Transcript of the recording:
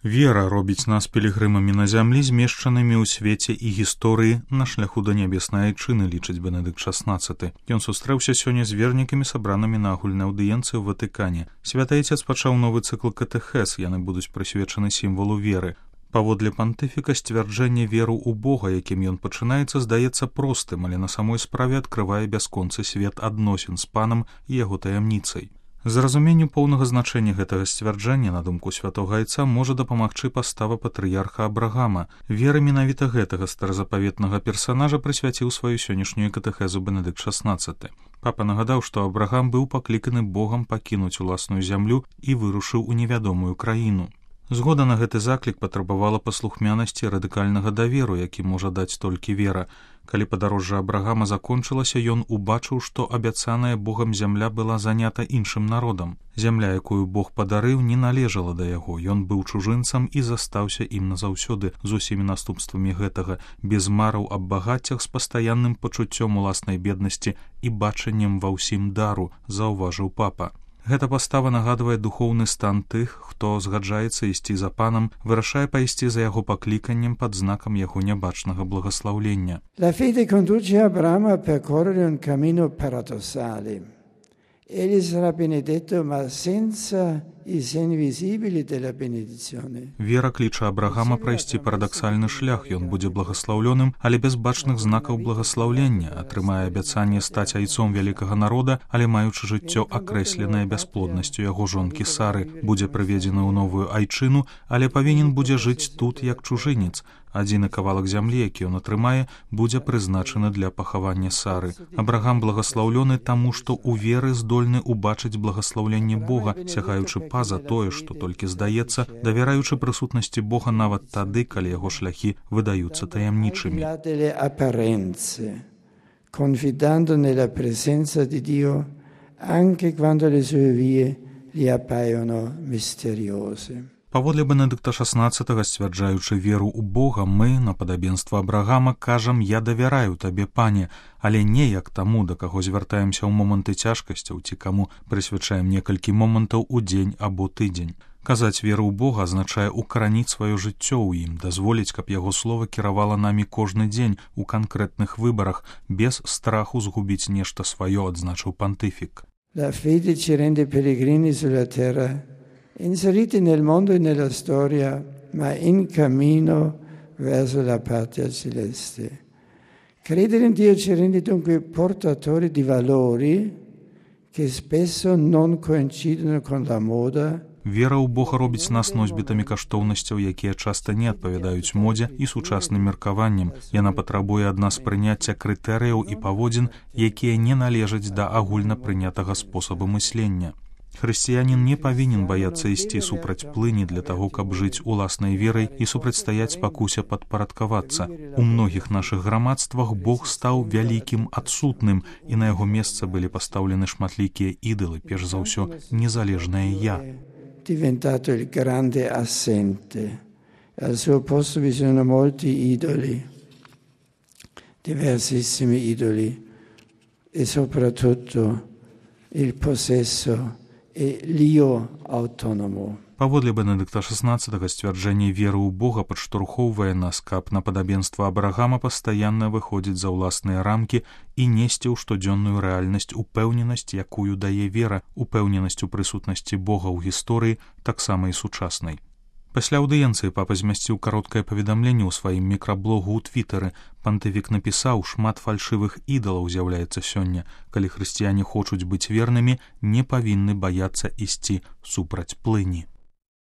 Вера робіць нас пілігрымамі на зямлі, змешчанымі ў свеце і гісторыі на шляху да нябеснай айчыны, лічыць Бенедыкт XVI. Ён сустрэўся сёння з вернікамі, сабранымі на агульнай аўдыенцыі ў Ватыкане. Святы Айцец пачаў новы цыкл катэхез, яны будуць прысвечаны сімвалу веры. Паводле пантыфіка сцвярджэнне веру ў Бога, якім ён пачынаецца, здаецца простым, але на самой справе адкрывае бясконцы свет адносін з панам і яго таямніцай. Зразуменню поўнага значэння гэтага сцвярджэння, на думку святога Айца, можа дапамагчы пастава патрыярха Абрагама. Вера менавіта гэтага старазапаветнага персанажа прысвяціў сваю сённяшнюю катэхезу Бенедыкт XVI. Папа нагадаў, што Абрагам быў пакліканы Богам пакінуць уласную зямлю і вырушыў у невядомую краіну. Згода на гэты заклік патрабавала паслухмянасці радыкальнага даверу, які можа даць толькі вера. Калі падарожжа Абрагама закончылася, ён убачыў, што абяцаная Богам зямля была занята іншым народам. Зямля, якую Бог падарыў, не належала да яго. Ён быў чужынцам і застаўся ім назаўсёды з усімі наступствамі гэтага, без мараў аб багаццях, з пастаянным пачуццём уласнай беднасці і бачаннем ва ўсім дару, заўважыў папа. Гэта пастава нагадвае духоўны стан тых, хто згаджаецца ісці за панам, вырашае пайсці за яго пакліканнем пад знакам яго нябачнага благаслаўлення. La fede conduce Abramo a percorrere un cammino paradossale. Egli sarà benedetto, ma senza i segni visibili della benedizione. Вера кліча Абрагама прайсці парадаксальны шлях, ён будзе благаслаўлёным, але без бачных знакаў благаслаўлення, атрымае абяцанне стаць айцом вялікага народа, але маючы жыццё акрэсленае бясплоднасцю яго жонкі Сары, будзе прыведзены ў новую айчыну, але павінен будзе жыць тут як чужынец. Адзіны кавалак зямлі, які ён атрымае, будзе прызначаны для пахавання Сары. Абрагам благаслаўлёны таму, што ў веры здольны убачыць благаслаўленне Бога, сягаючы па-за тое, што толькі здаецца, давяраючы прысутнасці Бога нават тады, калі яго шляхі выдаюцца таямнічымі. Confidando nella presenza di Dio anche quando le sue vie gli appaiono misteriose. Паводле Бенедыкта XVI, сцвярджаючы веру ў Бога, мы, на падабенства Абрагама, кажам: «Я давяраю табе, пане», але не як таму, да каго звяртаемся ў моманты цяжкасцяў, ці каму прысвячаем некалькі момантаў у дзень або тыдзень. Казаць веру ў Бога азначае укараніць сваё жыццё ў ім, дазволіць, каб яго слова кіравала намі кожны дзень у канкрэтных выбарах, без страху згубіць нешта сваё, адзначыў пантыфік. La fede ci rende pellegrini sulla terra, inseriti nel mondo e nella storia, ma in cammino verso la patria celeste. Credere in Dio ci rende dunque portatori di valori che spesso non coincidono con la moda. Вера ў Бога робіць нас носьбітамі каштоўнасцяў, якія часта не адпавядаюць модзе і сучасным меркаванням. Яна патрабуе ад нас прыняцця крытэрыяў і паводзін, якія не належаць да агульна прынятага спосабу мыслення. Хрысціянін не павінен баяцца ісці супраць плыні для таго, каб жыць уласнай верай і супрацьстаяць спакусе падпарадкавацца. У многіх нашых грамадствах Бог стаў вялікім адсутным, і на яго месца былі пастаўлены шматлікія ідалы, перш за ўсё незалежнае «я». Diventato il grande assente. Al suo posto vi sono molti idoli, diversissimi idoli, e soprattutto il possesso e l'io autonomo. Паводле Бенедыкта XVI сцвярджэнне веры ў Бога падштурхоўвае нас, каб на падабенства Абрагама пастаянна выходзіць за ўласныя рамкі і несці ў штодзённую рэальнасць упэўненасць, якую дае вера, упэўненасць у прысутнасці Бога ў гісторыі, таксама і сучаснай. Пасля аўдыенцыі папа змясціў кароткае паведамленне ў сваім мікраблогу ў Твітары. Пантыфік напісаў: «Шмат фальшывых ідалаў з'яўляецца сёння. Калі хрысціяне хочуць быць вернымі, не павінны баяцца ісці супраць плыні».